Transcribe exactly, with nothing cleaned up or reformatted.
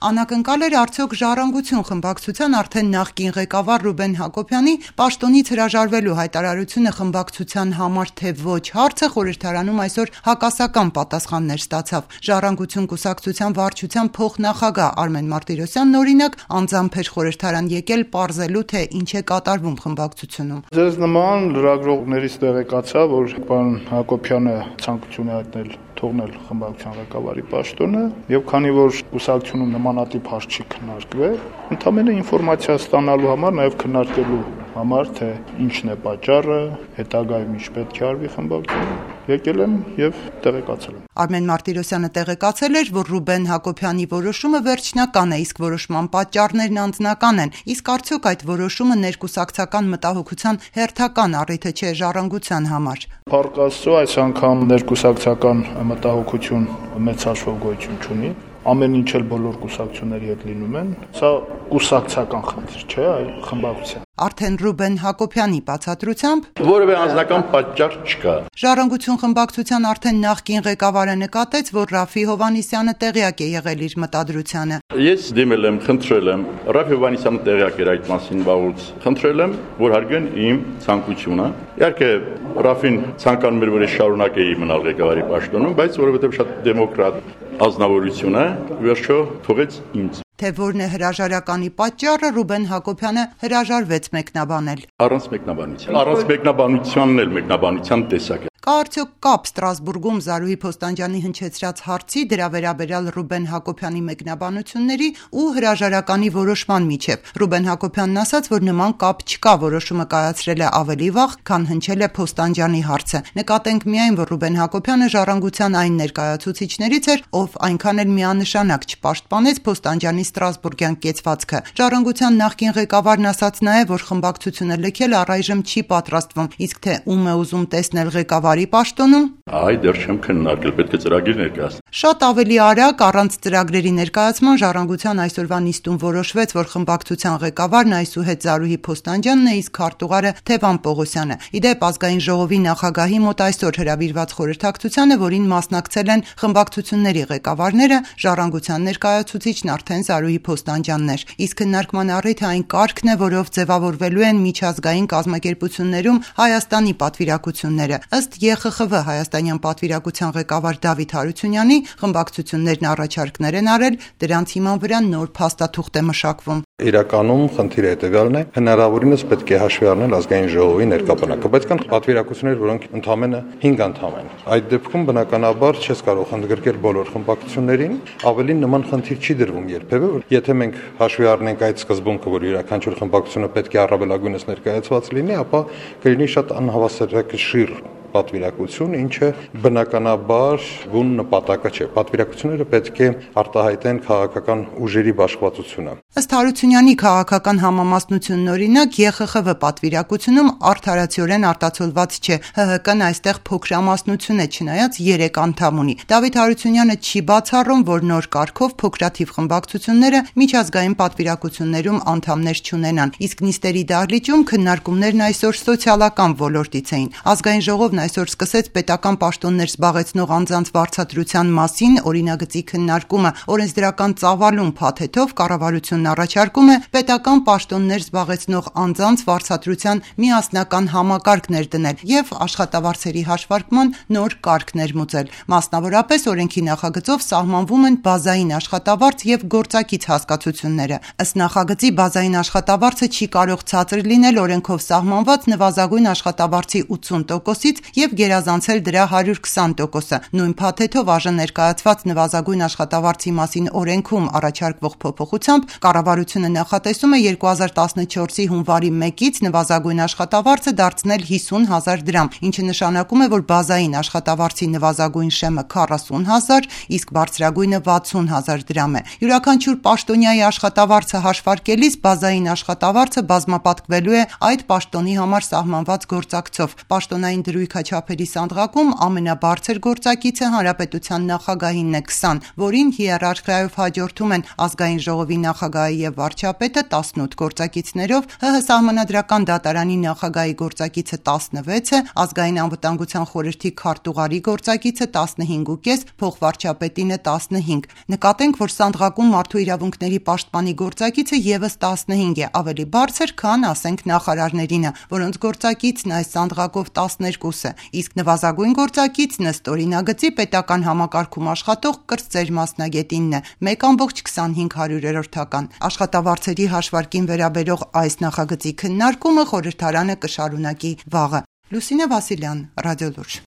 Անակնկալ էր արդյոք Ժառանգություն խմբակցության արդեն նախկին ղեկավար Ռուբեն Հակոբյանի պաշտոնից հրաժարվելու հայտարարությունը խմբակցության համար թե ոչ հարցը խորհրդարանում այսօր հակասական պատասխաններ ստացավ։ Ժառանգություն կուսակցության վարչության փոխնախագահ Արմեն Մարտիրոսյանն օրինակ անձամբ էր խորհրդարան եկել պարզելու, թե ինչ է կատարվում խմբակցությունում։ Ձեզ նման լրագրողներից տեղեկացա, որ պարոն Հակոբյանը ցանկություն է հայտնել թողնել խմբակցության ղեկավարի պաշտոնը, եւ քանի որ կուսակցությունում նմանատիպ հարց չի քննարկվել, ընդամենը ինֆորմացիա ստանալու համար, նաեւ քննարկելու համար, թե ինչն է պատճառը, հետագայում ինչ պետք է արվի խմբակցությունում, եկել եմ եւ տեղեկացել եմ։ Արմեն Մարտիրոսյանը տեղեկացել էր, որ Ռուբեն Հակոբյանի որոշումը վերջնական է, իսկ որոշման պատճառներն անձնական են։ Իսկ արդյոք այդ որոշումը ներկուսակցական մտահոգության հերթական առիթը չէ Ժառանգության համար։ Փառք Աստծո, այս անգամ ներկուսակցական մտահոգություն մեծ հաշվով գոյություն չունի։ Ամեն ինչ էլ բոլոր կուսակցությունների հետ լինում են։ Սա կուսակցական խնդիր չէ, այլ խմբակցության։ Արդեն Ռուբեն Հակոբյանի բացատրությամբ որևէ անձնական պատճառ չկա։ Ժառանգություն խմբակցության արդեն նախկին ղեկավարը նկատեց, որ Ռաֆի Հովհաննիսյանը տեղյակ է եղել իր մտադրությանը։ Ես դիմել եմ, խնդրել եմ, Ռաֆի Հովհաննիսյանը տեղյակ էր այդ մասին վաղուց։ Խնդրել եմ, որ հարգեն իմ ցանկությունը։ Իհարկե Ռաֆին ցանկանում էր, որ ես շարունակեի մնալ ղեկավարի պաշտոնում, բայց որովհետև շատ դեմոկրատ ազնվորություն է, վերջո թողեց ինձ։ Թե որն է հրաժարականի պատճառը, Ռուբեն Հակոբյանը հրաժարվեց մեկնաբանել։ Առանց մեկնաբանության։ Առանց մեկնաբանությանն էլ մեկնաբանության տեսակ է։ Կա արդյոք կապ Ստրասբուրգում Զարուհի Փոստանջյանի հնչեցրած հարցի դրա վերաբերյալ Ռուբեն Հակոբյանի մեկնաբանությունների ու հրաժարականի որոշման միջև։ Ռուբեն Հակոբյանն ասաց, որ նման կապ չկա, որոշումը կայացրել է ավելի վաղ, քան հնչել է Փոստանջյանի հարցը։ Նկատենք միայն, որ Ռուբեն Հակոբյանը Ժառանգության այն ներկայացուցիչներից էր, ով այնքան էլ միանշանակ չպաշտպանեց Փոստանջյանի Ստրասբուրգյան կեցվածքը։ Ժառանգության նախկին ղեկավարն ասաց նաև, որ խմբակցությունը լքել առայժմ չի պատրաստվում, իսկ թե ում է ուզում տեսնել ղեկավարի պաշտոնում, այ դեռ չեմ քննարկել, պետք է ծրագիր ներկայացնել։ Շատ ավելի արագ առանց ծրագրերի ներկայացման Ժառանգության այսօրվա նիստում որոշվեց, որ խմբակցության ղեկավարն այսուհետ Զարուհի Փոստանջյանն է, իսկ քարտուղարը Թևան Պողոսյանը։ Իդեպ ազգային ժողովի նախագահի մոտ այսօր հրավիրված խորհրդակցությանը, որին մասնակցել են խմբակցությունների ղեկավարները, Ժառանգության ներկայացուցիչն արդեն Զարուհի Փոստանջյանն էր։ Իսկ քննարկման առիթը այն կարգն է, որով ձևավորվելու են միջազգային կազմակերպություններում Հայաստանի պատվիրակությունները։ Ըստ Ե Խ Խ V հայաստանյան պատվիրակության ղեկավար Դավիթ Հարությունյանի, խմբակցություններն առաջարկներ են արել, դրանց հիման վրա նոր փաստաթուղթ է մշակվում։ Իրականում խնդիրը հետևյալն է, հնարավորինս պետք է հաշվի առնել ազգային ժողովի ներկայացուցիչը, բայց կան պատվիրակություններ, որոնք ընդամենը հինգ անդամ են։ Այդ դեպքում բնականաբար չես կարող ընդգրկել բոլոր խմբակցություններին, ավելի նման խնդիր չի դրվում երբևէ, որ եթե մենք հաշվի առնենք այդ սկզբունքը, որ յուրաքանչյուր խմբակցությունը պետք է առավելագույնս ներկայացված լինի, ապա կլինի շատ անհավասարակշիռ պատվիրակություն, ինչը բնականաբար բուն նպատակը չէ։ Պատվիրակությունները պետք է արտահայտեն քաղաքական ուժերի բաշխվածությունը։ Ըստ Հարությունյանի քաղաքական համամասնությունն օրինակ Ե Խ Խ V պատվիրակությունում արդարացիորեն արտացոլված չէ։ Հ Հ Կ-ն այստեղ փոքրամասնություն է, չնայած երեք անդամ ունի։ Դավիթ Հարությունյանը չի բացառում, որ նոր կարգով փոքրաթիվ խմբակցությունները միջազգային պատվիրակություններում անդամներ չունենան։ Իսկ նիստերի դահլիճում քննարկումներն այսօր սոցիալական ոլորտից էին։ Ազգային ժողովն այսօր սկսեց պետական պաշտոններ զբաղեցնող անձանց վարձատրության մասին օրինագծի քննարկումը։ Օրենսդրական ծավալուն փաթեթով կառավարությունն առաջարկում է պետական պաշտոններ զբաղեցնող անձանց վարձատրության միասնական համակարգ ներդնել եւ աշխատավարձերի հաշվարկման նոր կարգ ներմուծել։ Մասնավորապես օրենքի նախագծով սահմանվում են բազային աշխատավարձ եւ գործակից հասկացությունները։ Ըստ նախագծի բազային աշխատավարձը չի կարող ցածր լինել օրենքով սահմանված նվազագույն աշխատավարձի ութսուն տոկոսից եւ գերազանցել դրա հարյուր քսան տոկոսը։ Նույն փաթեթով ԱԺ ներկայացված նվազագույն աշխատավարձի մասին օրենքում առաջարկվող փոփոխությամբ կառավարությունը նախատեսում է երկու հազար տասնչորսի հունվարի մեկից նվազագույն աշխատավարձը դարձնել հիսուն հազար դրամ, ինչը նշանակում է, որ բազային աշխատավարձի նվազագույն շեմը քառասուն հազար, իսկ բարձրագույնը վաթսուն հազար դրամ է։ Յուրաքանչյուր պաշտոնյայի աշխատավարձը հաշվարկելիս բազային աշխատավարձը բազմապատկվելու է այդ պաշտոնի համար սահմանված գործակցով։ Պաշտոնային դրույք դիրքաչափերի սանդղակում ամենաբարձր գործակիցը հանրապետության նախագահինն է քսան, որին հիերարխիայով հաջորդում են ազգային ժողովի նախագահը եւ վարչապետը տասնութ գործակիցներով, ՀՀ սահմանադրական դատարանի նախագահի գործակիցը տասնվեց է, ազգային անվտանգության խորհրդի քարտուղարի գործակիցը տասնհինգուկես, փոխվարչապետինը տասնհինգ։ Նկատենք, որ սանդղակում մարդու իրավունքների պաշտպանի գործակիցը եւս տասնհինգ է, ավելի բարձր, քան ասենք նախարարներինը, որոնց գործակիցն այս սանդղակով տասներկուս է, իսկ նվազագույն գործակիցն ըստ օրինագծի պետական համակարգում աշխատող կրտսեր մասնագետինն է, մեկ ամբողջ քսանհինգ հարյուրերորդական։ Աշխատավարձերի հաշվարկին վերաբերող այս նախագծի քննարկումը խորհրդարանը կշարունակի վաղը։ Լուսինե Վասիլյան, Ռադիոլուրջ։